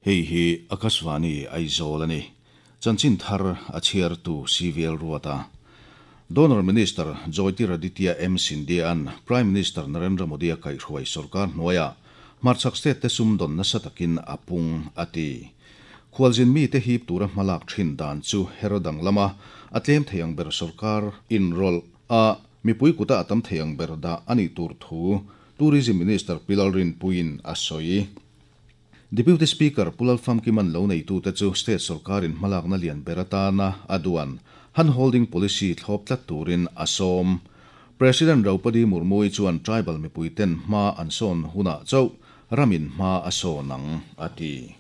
Hei hi Akashvani Aizawl a ni. Chanchin thar a chhiartu CVL Ruata. Donor Minister Jyotiraditya M Scindia-a'n Prime Minister Narendra Modi-a kaihhruai sorkar hnuaiah hmarchhak state te sumdawn nasa takin a pung, a ti. Khualzin mite hip tura hmalak thin dan chu her danglam a, a tlem thei ang ber sorkar inrawlh a, mipui kuta a tam thei ang ber dah a nih tur thu Tourism Minister Pi Lalrinpuiin a sawi. Deputy Speaker Pu Lalfamkiman lo neitute chu state sorkarin hmalakna lian ber atana a duan handholding policy thlawp tlat turin a sawm. President Draupadi Murmu-i chuan tribal mipuiten hma an sawn hunah chauh ramin hma a sawn ang, a ti.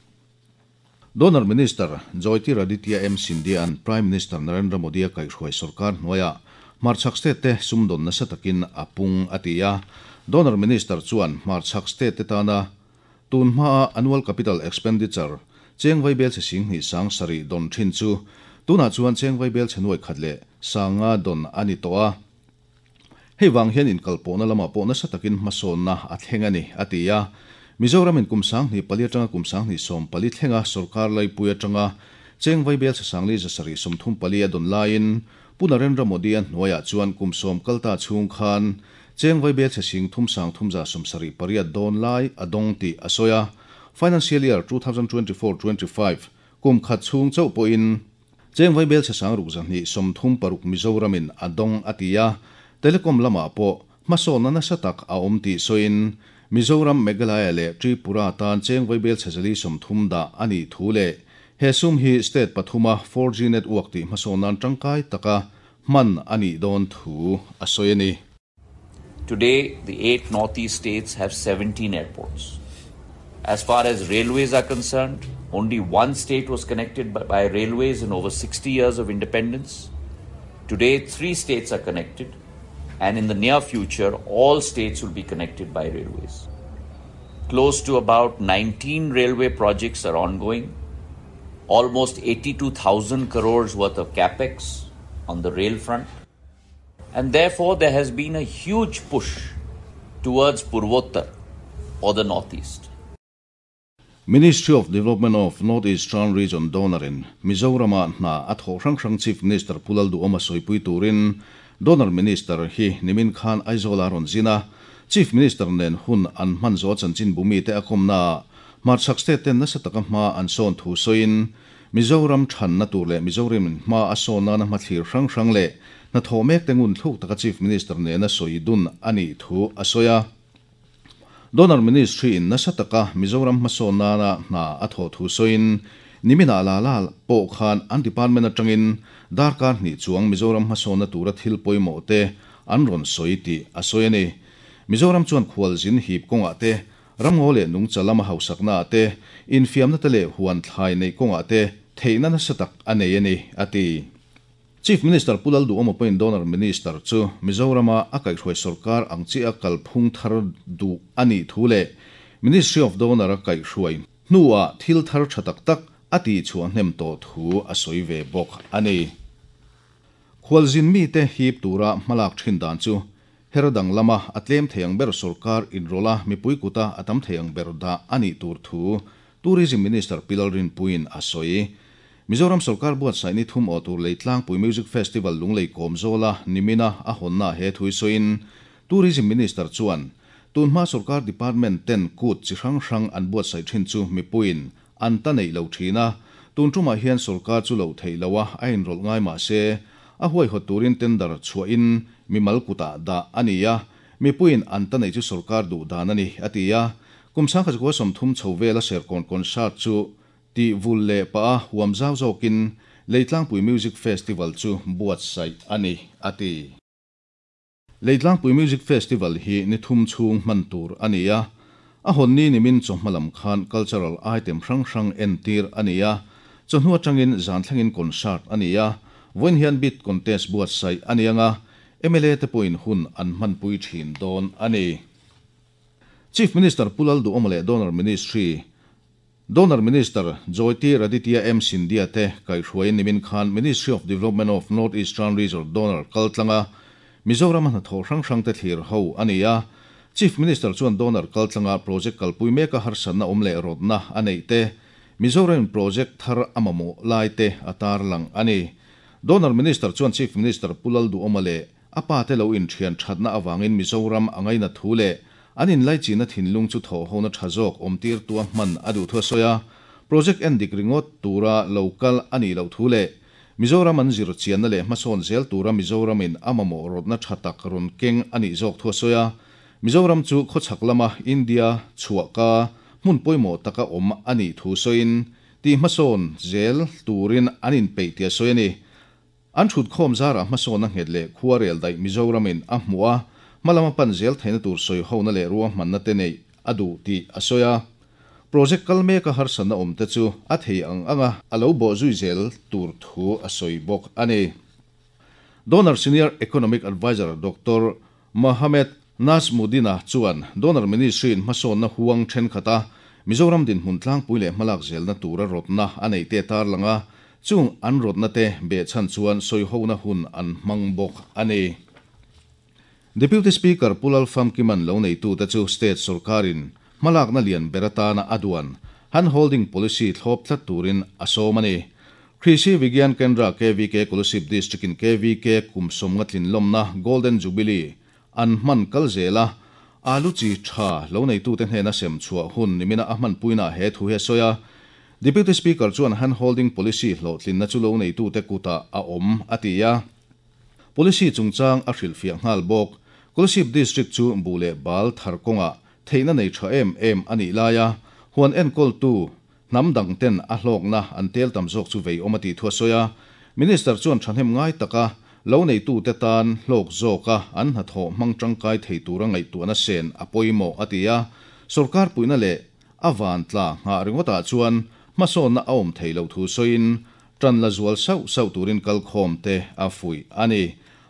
Donor Minister Jyotiraditya M Scindia-a'n Prime Minister Narendra Modi-a kaihhruai sorkar hnuaiah hmarchhak state te sumdawn nasa takin a pung, a ti a. Donor Minister chuan hmarchhak state te tana tun hmaa annual capital expenditure cheng vaibel chhe 27 000 dawn thin chu tunah chuan cheng vaibel chhe 500 leh 500 dawn a ni tawh a. Hei vang hian inkalpawhna lamah pawh nasa takin hmasawnna a thleng a ni, a ti a. Mizoramin kum 2004 atanga kum 2014 thlenga sorkar laipui atanga cheng vaibel chhe 434 a dawn laiin Pu Narendra Modi-a hnuaiah chuan kum 10 kalta chhung khan cheng vaibel chhe 3378 dawn lai a dawng tih a sawi a. Financial Year 2024-25 kum khat chhung chauh pawhin Cheng vaibel chhe 6236 Mizoramin a dawng a ti a, telecom lamah pawh hmasawnna nasa tak a awm tih sawiin Mizoram, Meghalaya leh Tripura tan cheng vaibel chhe 430 dah a nih thu leh he sum hi state pathuma 4G network tih hmasawn nan tangkai taka hman a nih dawn thu a sawi a ni. Today, the eight Northeast states have 17 airports. As far as railways are concerned, only one state was connected by, by railways in over 60 years of independence. Today, three states are connected, and in the near future, all states will be connected by railways. Close to about 19 railway projects are ongoing. Almost 82,000 crores worth of capex on the rail front. And therefore, there has been a huge push towards Purvottar or the Northeast. Ministry of Development of North Eastern Region Donor-in Mizorama hna a thawh hrang hrang Chief Minister Pu Lalduhawma sawipui turin Donor Minister hi nimin khan Aizawl-a rawn zin a, Chief Minister nen hun an hman zawh chanchin bumi te a kawmnaah hmarchhak state ten nasa taka hma an sawn thu sawiin Mizoram thanna tur leh Mizoramin hma a sawn nana hmathlir hrang hrang leh hnathawh mek te ngun thluk taka Chief Minister nena sawi dun a nih thu a sawi a. Donor Ministry in nasa taka Mizoram hmasawn nana hna a thawh thu sawiin niminah la la pawh khan an department atangin darkar hnih chuang Mizoram hmasawnna tura thil pawimawh te an rawn sawi tih a sawi a ni. Mizoram chuan khualzin hip kawngah te, ramngaw leh nungcha lama hausakna ah te, infiamna te leh huan thlai neih kawngah te theihna nasa tak a nei a ni, a ti. Chief Minister Pu Lalduhawma pawhin Donor Minister chu Mizorama a kaihhruai sorkar ang chiah a kalphung thar duh a nih thu leh Ministry of Donor a kaihhruai hnuah thil thar tha tak tak a tihchhuah hnem tawh thu a sawi ve bawk a ni. Khualzin mite hip tura hmalak thin dan chu her danglama a tlem thei ang ber sorkar inrawlh a mipui kuta a tam thei ang ber dah a nih tur thu Tourism Minister Pi Lalrinpuiin a sawi. Mizoram sorkar buatsaih ni thum aw tur Leitlangpui Music Festival Lunglei kawm zawla nimina a hawnna he thui sawiin Tourism Minister chuan tunhma sorkar department ten kut chi hrang hrang an buatsaih thin chu mipuiin an ta neih lo thin a, tun tumah hian sorkar chu loh theih loh a a inrawlh ngai mah se a huaihawt turin tender chhuahin mimal kutah dah a ni a, mipuiin an ta neih chu sorkar duh dan a ni, a ti a. Kum 1930 chho vela Serkawn concert chu tih vul leh pah a huam zau zawkin Leitlangpui Music Festival chu buatsaih a ni, a ti. Leitlangpui Music Festival hi ni thum chhung hman tur a ni a, a hawn ni nimin chawhma lam khan cultural item hrang hrang entir a ni a, chawhnu atangin zan thlengin concert a ni a, vawiin hian bid contest buatsaih a ni anga, mla te pawhin hun an hmanpui thin dawn a ni. Chief Minister Pu Lalduhawma leh Donor Ministry Donor Minister Jyotiraditya M Scindia te kaihhruaiin nimin khan Ministry of Development of North Eastern Region Donor kaltlanga Mizoram a hnathawh hrang hrang te thlir ho a ni a. Chief Minister chuan Donor kaltlanga project kalpui meka harsatna awm leh rawtna a neih te, Mizoramin project thar a mamawh lai te a tarlang a ni. Donor Minister chuan Chief Minister Pu Lalduhoma leh a pa te lo inthian thatna avangin Mizoram a ngainat thu leh an inlaichinna thinlung chu thawhhona tha zawk awmtirtua hman a duh thu a sawi a. Project endik ringawt tura lo kal a nih loh thu leh Mizoram an zirchianna leh hmasawn zel tura Mizoramin a mamawh rawtna tha tak rawn keng a nih zawk thu a sawi a. Mizoram chu khawchhak lama India chhuahka hmun pawimawh taka awm a nih thu sawiin tih hmasawn zel turin an inpeih tih a sawi a ni. An thutkhawm zarah hmasawnna nghet leh khuarel daih Mizoramin a hmuh a, hmalam a pan zel theihna tur sawihona leh ruahmanna te neih a duh tih a sawi a. Project kal meka harsatna awm te chu a thei ang anga a lo bawhzui zel tur thu a sawi bawk a ni. Donor Senior Economic Adviser Doctor Mohammed Nazmudin-a chuan Donor Ministry-in hmasawnna huang thenkhat a Mizoram dinhmun tlangpui leh hmalak zelna tura rawtna a neih te tarlang a, chung an rawtna te behchhan chuan sawihona hun an hmang bawk a ni. Deputy Speaker Pu Lalfamkiman lo neitute chu State sorkarin hmalakna lian ber atana a duan Handholding Policy thlawp tlat turin a sawm a ni. Krishi Vigyan Kendra KVK Kolasib District-in KVK kum sawmnga tlinlawmna Golden Jubilee an hman kal zel a, alu chi tha lo neitute hnena sem chhuah hun nimina a hmanpuinaah he thu hi a sawi a. Deputy Speaker chuan Handholding Policy hlawhtlinna chu lo neitute kutah a awm a ti a. Policy chungchang a hrilhfiah nghal bawk. Kolasib District chu buh leh bal thar kawngah theihna nei tha em em a nih laia huan enkawltu hnam dang ten a hlawkna an tel tam zawk chu vei awm a tih thu a sawi a. Minister chuan thahnem ngai taka lo neitute tan hlawk zawka an hnathawh hmang tangkai thei tura ngaihtuahna sen a pawimawh a ti a. Sorkar puihna leh a vantla nghah ringawtah chuan hmasawnna a awm thei lo thu sawiin Ṭan la zual sauh sauh turin kalkhawm te a fuih a ni.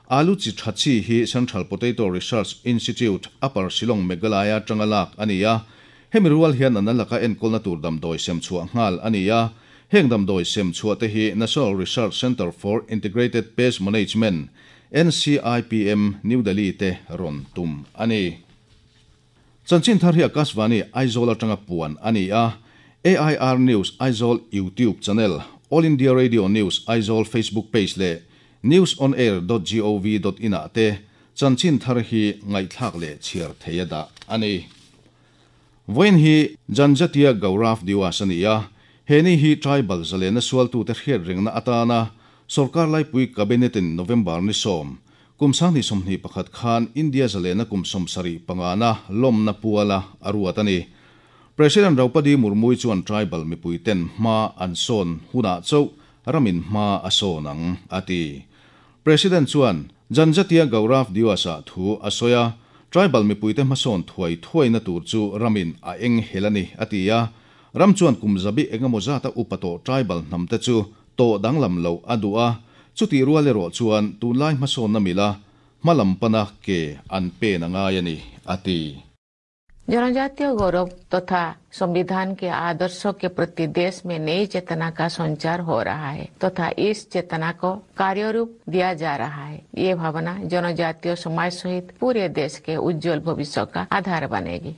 Alu chi ṭha chi hi Central Potato Research Institute, Upper Shillong, Meghalaya aṭanga lak a ni a. Hemi rual hian an laka enkawlna tur damdawi sem chhuah nghal a ni a. Heng damdawi sem chhuah te hi National Research Centre for Integrated Pest Management, NCIPM, New Delhi te rawn tum a ni. Chanchin thar hi Akashvani Aizawl atanga puan a ni a, AIR News Aizawl YouTube channel, All India Radio News Aizawl Facebook page leh newsonair.gov.in ah te chanchin thar hi ngaihthlak leh chhiar thei a dah a ni. Vawiin hi Janjatiya Gaurav Diwas a ni a, he ni hi tribal zalena sualtute hriat rengna atana sorkar laipui Cabinet-in November ni sawm, Kum 2021 khan India zalena kum 75na lawmna puala a ruat a ni. President Draupadi Murmu-i chuan tribal mipuiten hma an sawn hunah chauh ramin hma a sawn ang, a ti. President chuan Janjatiya Gaurav Diwas-ah thu a sawi a, tribal mipuite hmasawn thuai thuaina tur chu ramin a eng hel a ni, a ti a. Ram chuan kum zabi engemaw zata upa tawh tribal hnamte chu tawh danglam loh a duh a, chutih rual erawh chuan tunlai hmasawnna mila hma lam pana ke an pen a ngai a ni, a ti. जनजातीय गौरव तथा संविधान के आदर्शों के प्रति देश में नई चेतना का संचार हो रहा है तथा इस चेतना को कार्यरूप दिया जा रहा है। ये भावना जनजातीय समाज सहित पूरे देश के उज्जवल भविष्य का आधार बनेगी।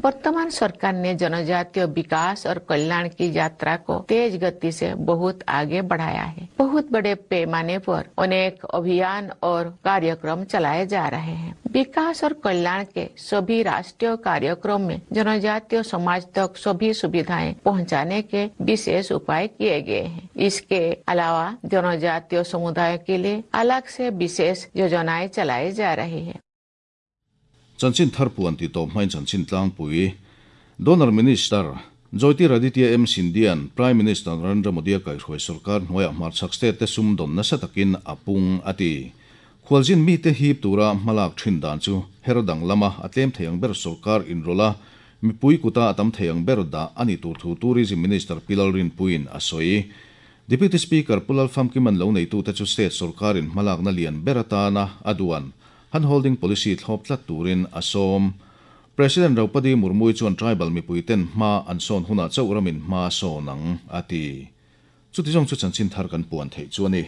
वर्तमान सरकार ने जनजातीय विकास और कल्याण की यात्रा को तेज गति से बहुत आगे बढ़ाया है। बहुत बड़े पैमाने पर अनेक अभियान और कार्यक्रम चलाए जा रहे हैं। विकास और कल्याण के सभी राष्ट्रीय कार्यक्रम में जनजातीय समाज तक सभी सुविधाएं पहुंचाने के विशेष उपाय किए गए हैं। इसके अलावा जनजातीय समुदाय के लिए अलग से विशेष योजनाएं चलाई जा रही है। Chanchin thar puan ti tawp hmain chanchin tlangpui Donor Minister Jyotiraditya M Scindia'n Prime Minister Narendra Modi-a kaihhruai sorkar hnuaiah hmarchhak state te sumdawn nasa takin a pung a ti. Khualzin mite hip tura hmalak thin dan chu her dang lama a tlem thei ang ber sorkar inrawlh a, mipui kuta a tam thei ang ber dah a ni tur thu Tourism Minister Pi Lalrinpuiin a sawi. Deputy Speaker Pu Lalfamkiman lo neitute chu state sorkarin hmalakna lian ber atana a duan Handholding policy thlawp tlat turin a sawm. President Draupadi Murmu-i chuan tribal mipuiten hma an sawn hunah chauh ramin hma a sawn ang, a ti. Chuti zawng chu chanchin thar kan puan theih chu a ni.